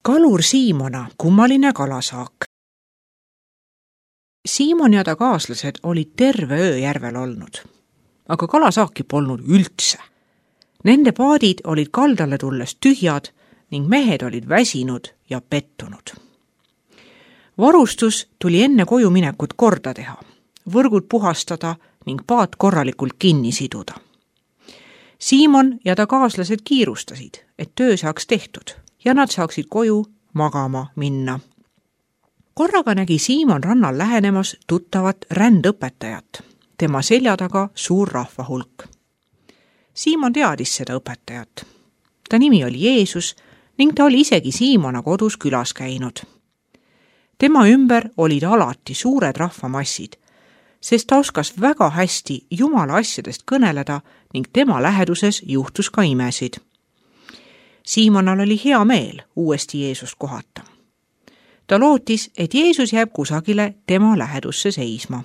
Kalur Siimona kummaline kalasaak. Siimon ja ta kaaslased olid terve öö järvel olnud, aga kalasaaki polnud üldse. Nende paadid olid kaldale tulles tühjad ning mehed olid väsinud ja pettunud. Varustus tuli enne koju minekut korda teha, võrgud puhastada ning paat korralikult kinni siduda. Siimon ja ta kaaslased kiirustasid, et töö saaks tehtud ja nad saaksid koju magama minna. Korraga nägi Siimon rannal lähenemas tuttavat rändõpetajat, tema selja taga suur rahvahulk. Siimon teadis seda õpetajat. Ta nimi oli Jeesus ning ta oli isegi Siimona kodus külas käinud. Tema ümber olid alati suured rahvamassid, sest ta oskas väga hästi Jumala asjadest kõneleda ning tema läheduses juhtus ka imesid. Siimonal oli hea meel uuesti Jeesust kohata. Ta lootis, et Jeesus jääb kusagile tema lähedusse seisma.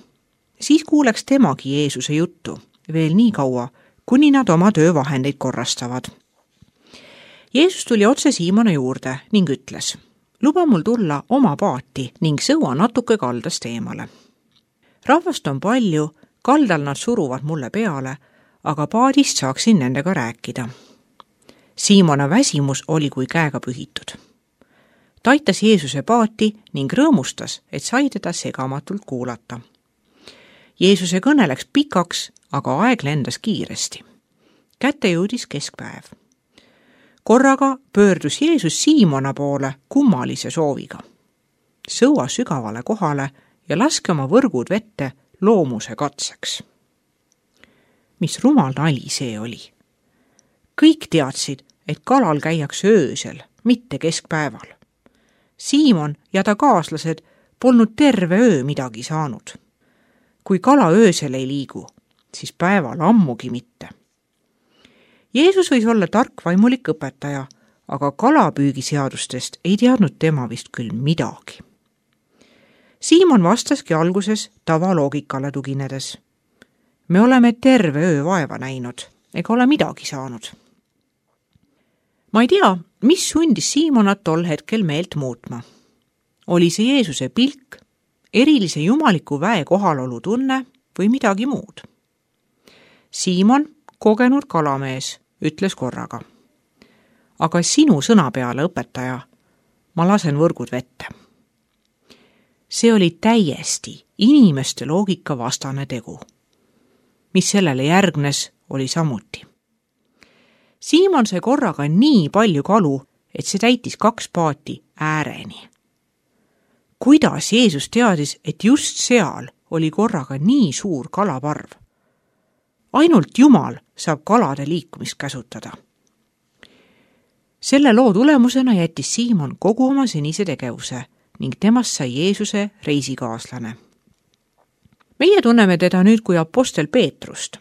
Siis kuuleks temagi Jeesuse juttu veel nii kaua, kuni nad oma töövahendeid korrastavad. Jeesus tuli otse Siimona juurde ning ütles: "Luba mul tulla oma paati ning sõua natuke kaldast eemale. Rahvast on palju, kaldal nad suruvad mulle peale, aga paadist saaksin nendega rääkida." Siimona väsimus oli kui käega pühitud. Ta aitas Jeesuse paati ning rõõmustas, et sai teda segamatult kuulata. Jeesuse kõne läks pikaks, aga aeg lendas kiiresti. Kätte jõudis keskpäev. Korraga pöördus Jeesus Siimona poole kummalise sooviga: "Sõua sügavale kohale ja laske oma võrgud vette loomuse katseks." Mis rumal nali see oli! Kõik teadsid, et kalal käiakse öösel, mitte keskpäeval. Siimon ja ta kaaslased polnud terve öö midagi saanud. Kui kala öösel ei liigu, siis päeval ammugi mitte. Jeesus võis olla tark vaimulik õpetaja, aga kalapüügiseadustest ei teadnud tema vist küll midagi. Siimon vastaski alguses tavaloogikale tuginedes: "Me oleme terve öö vaeva näinud ega ole midagi saanud." Ma ei tea, mis sundis Siimonat tol hetkel meelt muutma. Oli see Jeesuse pilk, erilise jumaliku väe kohalolu tunne või midagi muud? Siimon, kogenud kalamees, ütles korraga: "Aga sinu sõna peale, õpetaja, ma lasen võrgud vette." See oli täiesti inimeste loogika vastane tegu. Mis sellele järgnes, oli samuti. Siimon sai korraga nii palju kalu, et see täitis 2 paati ääreni. Kuidas Jeesus teadis, et just seal oli korraga nii suur kalaparv? Ainult Jumal saab kalade liikumist käsutada. Selle loo tulemusena jättis Siimon kogu oma senise tegevuse ning temast sai Jeesuse reisikaaslane. Meie tunneme teda nüüd kui apostel Peetrust,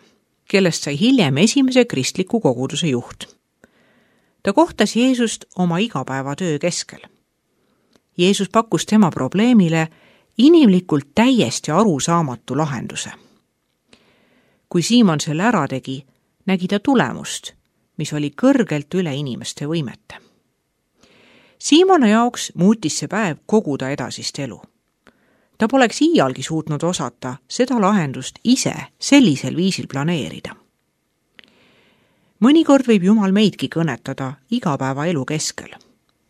kellest sai hiljem esimese kristliku koguduse juht. Ta kohtas Jeesust oma igapäevatöö keskel. Jeesus pakkus tema probleemile inimlikult täiesti arusaamatu lahenduse. Kui Siimon selle ära tegi, nägi ta tulemust, mis oli kõrgelt üle inimeste võimete. Siimona jaoks muutis see päev kogu ta edasist elu. Ta poleks iialgi suutnud osata seda lahendust ise sellisel viisil planeerida. Mõnikord võib Jumal meidki kõnetada igapäevaelu keskel,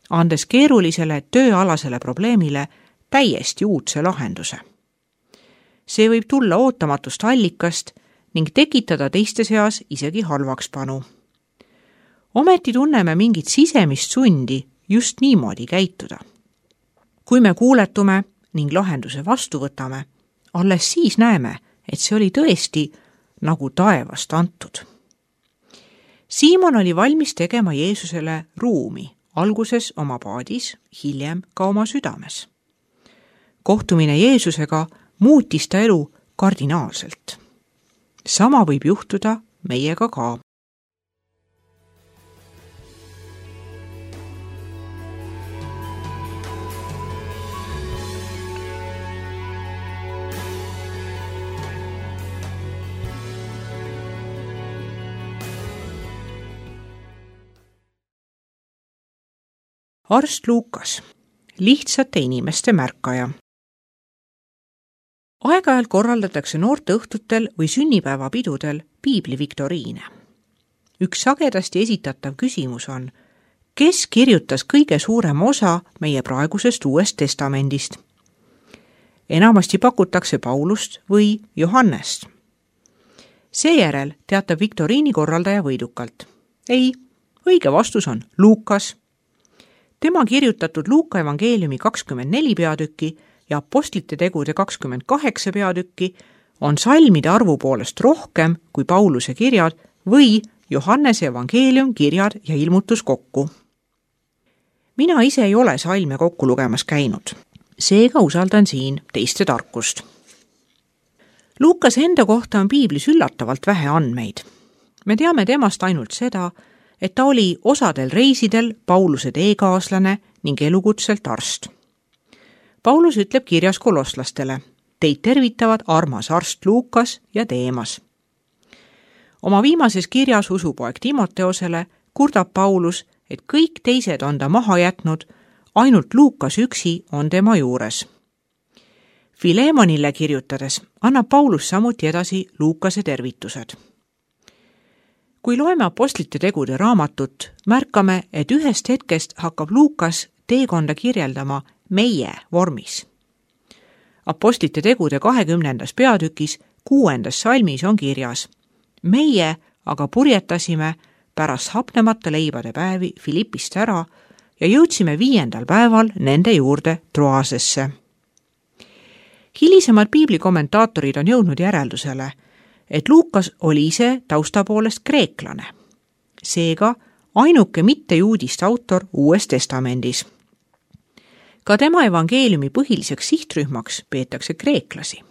andes keerulisele tööalasele probleemile täiesti uudse lahenduse. See võib tulla ootamatust allikast ning tekitada teiste seas isegi halvakspanu. Ometi tunneme mingit sisemist sundi just niimoodi käituda. Kui me kuuletume ning lahenduse vastu võtame, alles siis näeme, et see oli tõesti nagu taevast antud. Siimon oli valmis tegema Jeesusele ruumi, alguses oma paadis, hiljem ka oma südames. Kohtumine Jeesusega muutis ta elu kardinaalselt. Sama võib juhtuda meiega ka. Arst Luukas, lihtsate inimeste märkaja. Aeg-ajalt korraldatakse noorteõhtutel või sünnipäevapidudel piibliviktoriine. Üks sagedasti esitatav küsimus on, kes kirjutas kõige suurema osa meie praegusest Uuest Testamendist? Enamasti pakutakse Paulust või Johannest. Seejärel teatab viktoriini korraldaja võidukalt. Ei, õige vastus on Luukas. Tema kirjutatud Luuka evangeeliumi 24 peatükki ja apostlite tegude 28 peatükki on salmide arvu poolest rohkem kui Pauluse kirjad või Johannese evangeelium, kirjad ja ilmutus kokku. Mina ise ei ole salme kokku lugemas käinud, seega usaldan siin teiste tarkust. Luukas enda kohta on piiblis üllatavalt vähe andmeid. Me teame temast ainult seda, et ta oli osadel reisidel Pauluse teekaaslane ning elukutselt arst. Paulus ütleb kirjas kolosslastele, teid tervitavad armas arst Luukas ja Deemas. Oma viimases kirjas usupoeg Timoteosele kurdab Paulus, et kõik teised on ta maha jätnud, ainult Luukas üksi on tema juures. Filemonile kirjutades annab Paulus samuti edasi Luukase tervitused. Kui loeme apostlite tegude raamatut, märkame, et ühest hetkest hakkab Luukas teekonda kirjeldama meie vormis. Apostlite tegude 20. peatükis 6. salmis on kirjas, meie aga purjetasime pärast hapnemata leibade päevi Filippist ära ja jõudsime 5. päeval nende juurde Troasesse. Hilisemad piiblikommentaatorid on jõudnud järeldusele, et Luukas oli ise tausta poolest kreeklane. Seega ainuke mittejuudist autor Uues Testamendis. Ka tema evangeeliumi põhiliseks sihtrühmaks peetakse kreeklasi.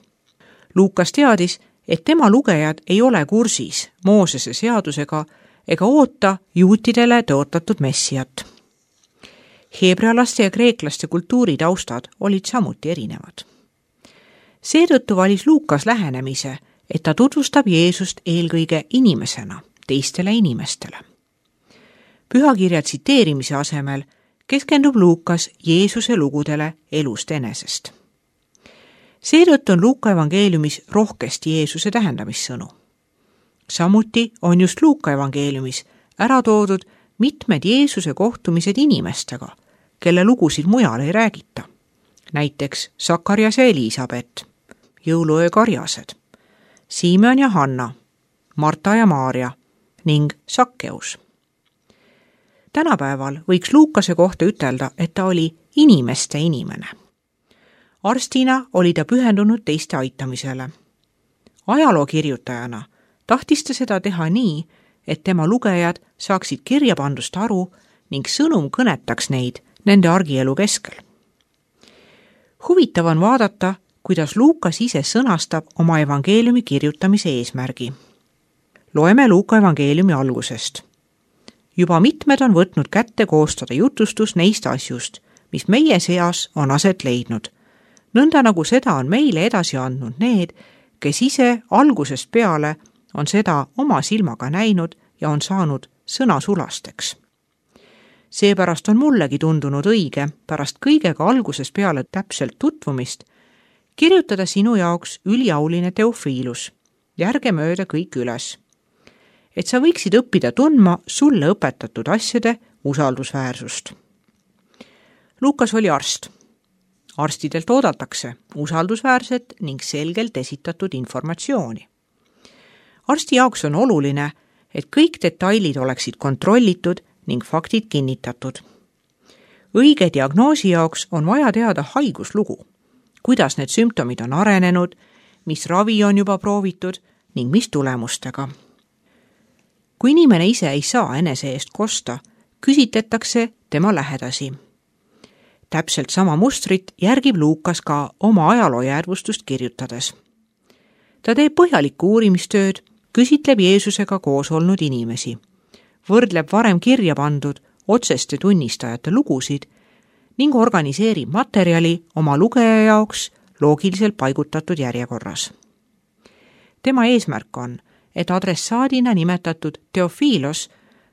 Luukas teadis, et tema lugejad ei ole kursis Moosese seadusega ega oota juutidele tõotatud messiat. Heebrealaste ja kreeklaste kultuuritaustad olid samuti erinevad. Seetõttu valis Luukas lähenemise, et ta tutvustab Jeesust eelkõige inimesena, teistele inimestele. Pühakirja tsiteerimise asemel keskendub Luukas Jeesuse lugudele elust enesest. Seetõttu on Luuka evangeeliumis rohkesti Jeesuse tähendamissõnu. Samuti on just Luuka evangeeliumis ära toodud mitmed Jeesuse kohtumised inimestega, kelle lugusid mujal ei räägita. Näiteks Sakarias ja Elisabet, jõuluöö karjased, Simeon ja Hanna, Marta ja Maaria ning Sakkeus. Tänapäeval võiks Luukase kohta ütelda, et ta oli inimeste inimene. Arstina oli ta pühendunud teiste aitamisele. Ajalookirjutajana tahtis ta seda teha nii, et tema lugejad saaksid kirjapandust aru ning sõnum kõnetaks neid nende argielu keskel. Huvitav on vaadata, kuidas Luukas ise sõnastab oma evangeeliumi kirjutamise eesmärgi. Loeme Luuka evangeeliumi algusest. Juba mitmed on võtnud kätte koostada jutustus neist asjust, mis meie seas on aset leidnud. Nõnda nagu seda on meile edasi andnud need, kes ise algusest peale on seda oma silmaga näinud ja on saanud sõnasulasteks. Seepärast on mullegi tundunud õige pärast kõigega algusest peale täpselt tutvumist kirjutada sinu jaoks üliauline Teofiilus, järgemööda kõik üles, et sa võiksid õppida tundma sulle õpetatud asjade usaldusväärsust. Luukas oli arst. Arstidelt oodatakse usaldusväärset ning selgelt esitatud informatsiooni. Arsti jaoks on oluline, et kõik detailid oleksid kontrollitud ning faktid kinnitatud. Õige diagnoosi jaoks on vaja teada haiguslugu, kuidas need sümptomid on arenenud, mis ravi on juba proovitud ning mis tulemustega. Kui inimene ise ei saa enese eest kosta, küsitletakse tema lähedasi. Täpselt sama mustrit järgib Luukas ka oma ajaloojäädvustust kirjutades. Ta teeb põhjalikku uurimistööd, küsitleb Jeesusega koos olnud inimesi, võrdleb varem kirja pandud otseste tunnistajate lugusid ning organiseerib materjali oma lugeja jaoks loogiliselt paigutatud järjekorras. Tema eesmärk on, et adressaadina nimetatud Teofiilos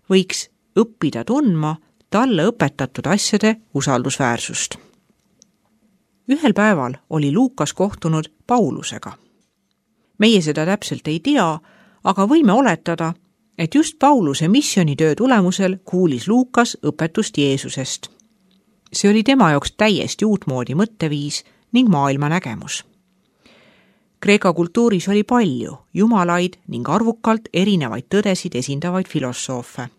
võiks õppida tundma talle õpetatud asjade usaldusväärsust. Ühel päeval oli Luukas kohtunud Paulusega. Meie seda täpselt ei tea, aga võime oletada, et just Pauluse missioonitöö tulemusel kuulis Luukas õpetust Jeesusest. See oli tema jaoks täiesti uutmoodi mõtteviis ning maailmanägemus. Kreeka kultuuris oli palju jumalaid ning arvukalt erinevaid tõdesid esindavaid filosoofe.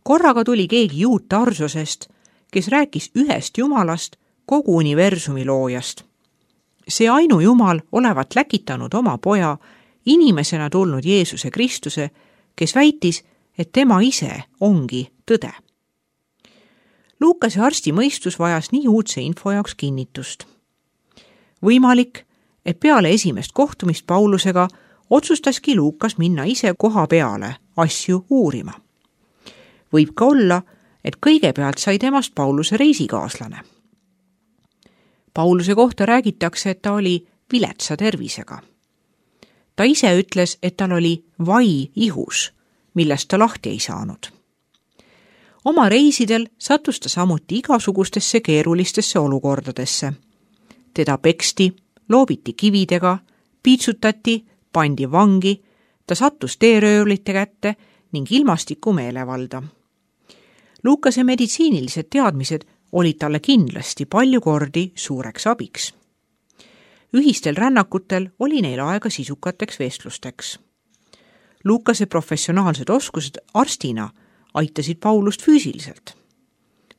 Korraga tuli keegi juut Tarsosest, kes rääkis ühest jumalast, kogu universumi loojast. See ainujumal olevat läkitanud oma poja, inimesena tulnud Jeesuse Kristuse, kes väitis, et tema ise ongi tõde. Luukase arsti mõistus vajas nii uudse info jaoks kinnitust. Võimalik, et peale esimest kohtumist Paulusega otsustaski Luukas minna ise koha peale asju uurima. Võib ka olla, et kõigepealt sai temast Pauluse reisikaaslane. Pauluse kohta räägitakse, et ta oli viletsa tervisega. Ta ise ütles, et tal oli vai ihus, millest ta lahti ei saanud. Oma reisidel sattus ta samuti igasugustesse keerulistesse olukordadesse. Teda peksti, loobiti kividega, piitsutati, pandi vangi, ta sattus teeröövlite kätte ning ilmastiku meelevalda. Luukase meditsiinilised teadmised olid talle kindlasti palju kordi suureks abiks. Ühistel rännakutel oli neil aega sisukateks vestlusteks. Luukase professionaalsed oskused arstina aitasid Paulust füüsiliselt.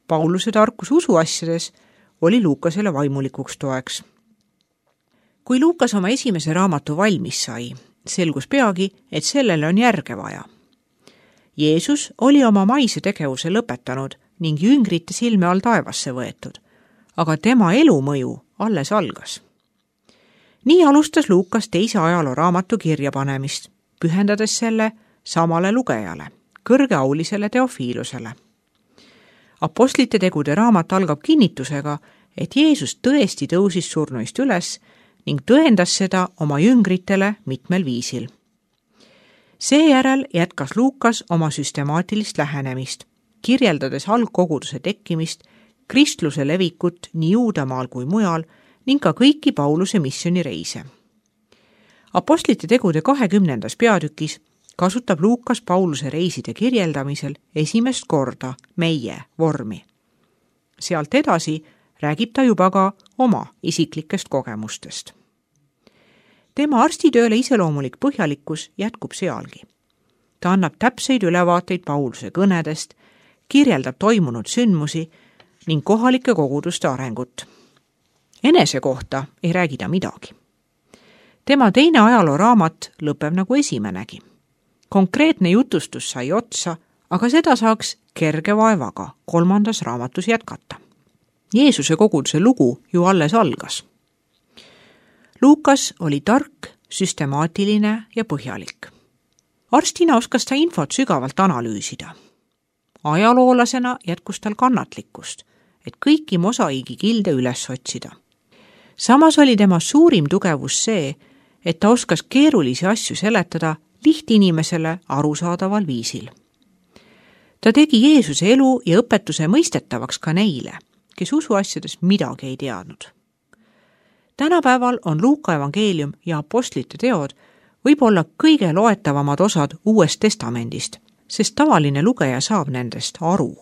Pauluse tarkus usuasjades oli Luukasele vaimulikuks toeks. Kui Luukas oma esimese raamatu valmis sai, selgus peagi, et sellele on järge vaja. Jeesus oli oma maise tegevuse lõpetanud ning jüngrite silme all taevasse võetud, aga tema elumõju alles algas. Nii alustas Luukas teise ajalooraamatu kirjapanemist, pühendades selle samale lugejale, kõrgeaulisele Teofiilusele. Apostlite tegude raamat algab kinnitusega, et Jeesus tõesti tõusis surnuist üles ning tõendas seda oma jüngritele mitmel viisil. Seejärel jätkas Luukas oma süstemaatilist lähenemist, kirjeldades algkoguduse tekkimist, kristluse levikut nii Juudamaal kui mujal ning ka kõiki Pauluse missionireise. Apostlite tegude 20. peatükis kasutab Luukas Pauluse reiside kirjeldamisel esimest korda meie vormi. Sealt edasi räägib ta juba ka oma isiklikest kogemustest. Tema arstitööle iseloomulik põhjalikkus jätkub sealgi. Ta annab täpseid ülevaateid Pauluse kõnedest, kirjeldab toimunud sündmusi ning kohalike koguduste arengut. Enese kohta ei räägi ta midagi. Tema teine ajalooraamat lõpeb nagu esimenegi. Konkreetne jutustus sai otsa, aga seda saaks kerge vaevaga 3. raamatus jätkata. Jeesuse koguduse lugu ju alles algas. Luukas oli tark, süstemaatiline ja põhjalik. Arstina oskas ta infot sügavalt analüüsida. Ajaloolasena jätkus tal kannatlikkust, et kõiki mosaiigi kilde üles otsida. Samas oli tema suurim tugevus see, et ta oskas keerulisi asju seletada lihtinimesele arusaadaval viisil. Ta tegi Jeesuse elu ja õpetuse mõistetavaks ka neile, kes usuasjadest midagi ei teadnud. Tänapäeval on Luuka evangeelium ja apostlite teod võib-olla kõige loetavamad osad Uuest Testamendist, sest tavaline lugeja saab nendest aru.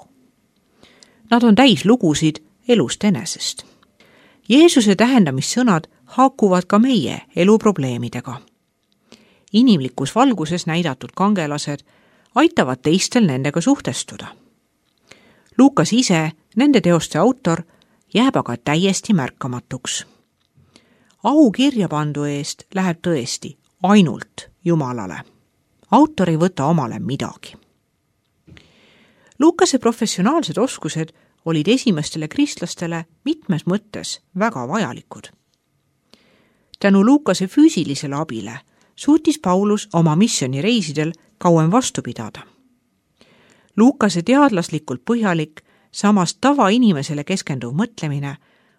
Nad on täis lugusid elust enesest. Jeesuse tähendamissõnad haakuvad ka meie eluprobleemidega. Inimlikus valguses näidatud kangelased aitavad teistel nendega suhtestuda. Luukas ise, nende teoste autor, jääb aga täiesti märkamatuks. Au kirjapandu eest läheb tõesti ainult Jumalale. Autor ei võta omale midagi. Luukase professionaalsed oskused olid esimestele kristlastele mitmes mõttes väga vajalikud. Tänu Luukase füüsilisele abile suutis Paulus oma missionireisidel kauem vastu pidada. Luukase teadlaslikult põhjalik, samas tavainimesele keskenduv mõtlemine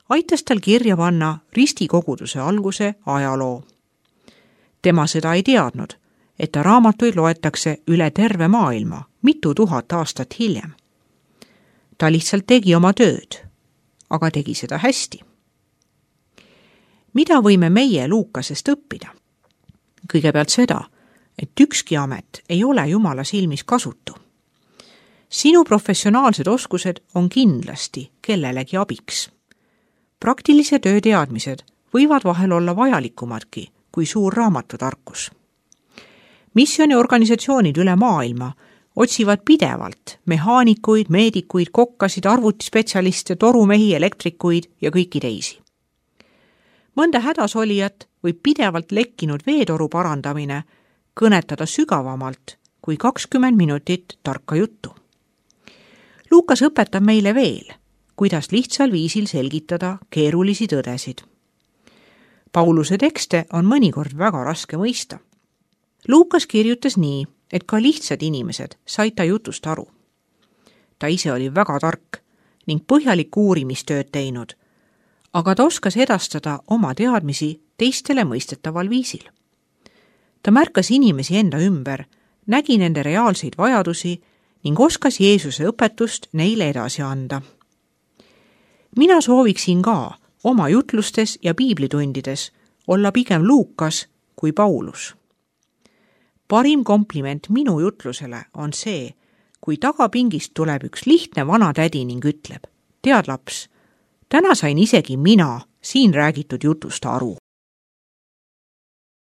aitas tal kirja panna ristikoguduse alguse ajaloo. Tema seda ei teadnud, et ta raamatuid loetakse üle terve maailma mitu tuhat aastat hiljem. Ta lihtsalt tegi oma tööd, aga tegi seda hästi. Mida võime meie Luukasest õppida? Kõigepealt seda, et ükski amet ei ole Jumala silmis kasutu. Sinu professionaalsed oskused on kindlasti kellelegi abiks. Praktilise töö teadmised võivad vahel olla vajalikumadki kui suur raamatutarkus. Missioniorganisatsioonid üle maailma otsivad pidevalt mehaanikuid, meedikuid, kokkasid, arvutispetsialiste, torumehi, elektrikuid ja kõiki teisi. Mõnda hädasolijat võib pidevalt lekkinud veetoru parandamine kõnetada sügavamalt kui 20 minutit tarka juttu. Luukas õpetab meile veel, kuidas lihtsal viisil selgitada keerulisi tõdesid. Pauluse tekste on mõnikord väga raske mõista. Luukas kirjutas nii, et ka lihtsad inimesed said ta jutust aru. Ta ise oli väga tark ning põhjalikku uurimistööd teinud, aga ta oskas edastada oma teadmisi teistele mõistetaval viisil. Ta märkas inimesi enda ümber, nägi nende reaalseid vajadusi ning oskas Jeesuse õpetust neile edasi anda. Mina sooviksin ka oma jutlustes ja piiblitundides olla pigem Luukas kui Paulus. Parim kompliment minu jutlusele on see, kui tagapingist tuleb üks lihtne vana tädi ning ütleb, tead laps, täna sain isegi mina siin räägitud jutust aru.